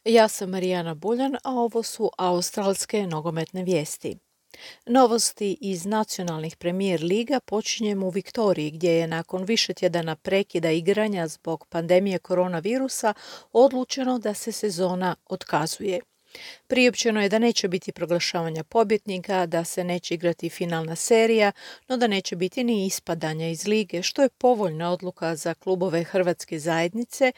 Ja sam Marijana Buljan, a ovo su australske nogometne vijesti. Novosti iz nacionalnih premijer liga počinjemo u Viktoriji, gdje je nakon više tjedana prekida igranja zbog pandemije koronavirusa odlučeno da se sezona otkazuje. Priopćeno je da neće biti proglašavanja pobjednika, da se neće igrati finalna serija, no da neće biti ni ispadanja iz lige, što je povoljna odluka za klubove hrvatske zajednice,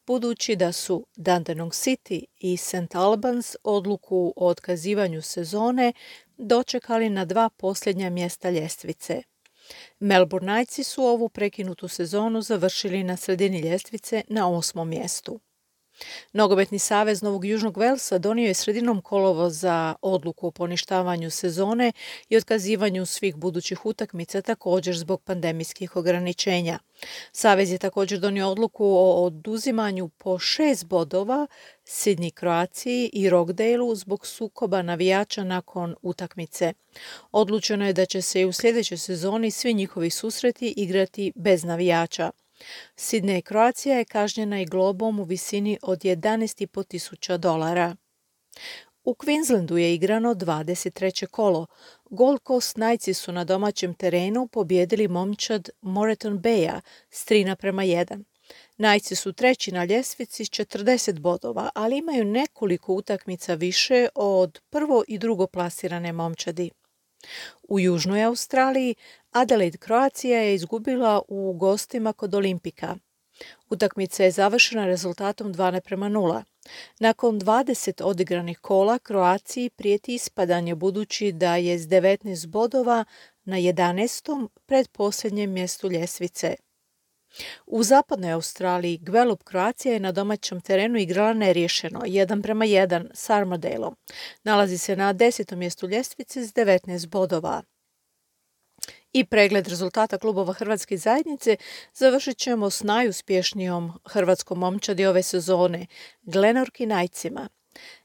budući da su Dandenong City i St. Albans odluku o otkazivanju sezone dočekali na 2 posljednja mjesta ljestvice. Melbourne Knightsi su ovu prekinutu sezonu završili na sredini ljestvice na 8. mjestu. Nogometni savez Novog Južnog Velsa donio je sredinom kolovoza odluku o poništavanju sezone i otkazivanju svih budućih utakmica, također zbog pandemijskih ograničenja. Savez je također donio odluku o oduzimanju po 6 bodova Sydney Croaciji i Rockdaleu zbog sukoba navijača nakon utakmice. Odlučeno je da će se i u sljedećoj sezoni svi njihovi susreti igrati bez navijača. Sydney Croacija je kažnjena i globom u visini od $11.500. U Queenslandu je igrano 23. kolo. Gold Coast Knightsi su na domaćem terenu pobijedili momčad Moreton Baya s 3:1. Knightsi su treći na ljestvici s 40 bodova, ali imaju nekoliko utakmica više od prvo i drugo plasirane momčadi. U Južnoj Australiji Adelaide Croatia je izgubila u gostima kod Olimpika. Utakmica je završena rezultatom 2:0. Nakon 20 odigranih kola Kroaciji prijeti ispadanje budući da je s 19 bodova na 11. predposljednjem mjestu ljestvice. U zapadnoj Australiji Gwelup Croatia je na domaćem terenu igrala neriješeno 1:1 s Armadaleom. Nalazi se na 10. mjestu ljestvice s 19 bodova. I pregled rezultata klubova hrvatske zajednice završit ćemo s najuspješnijom hrvatskom momčadi ove sezone, Glenorchy Knightsima.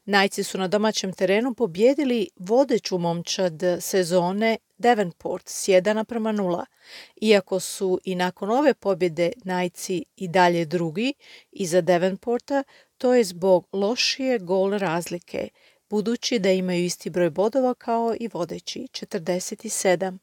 Knightsi su na domaćem terenu pobijedili vodeću momčad sezone Devonport s 1:0. Iako su i nakon ove pobjede Knightsi i dalje drugi iza Devonporta, to je zbog lošije gol razlike, budući da imaju isti broj bodova kao i vodeći, 47.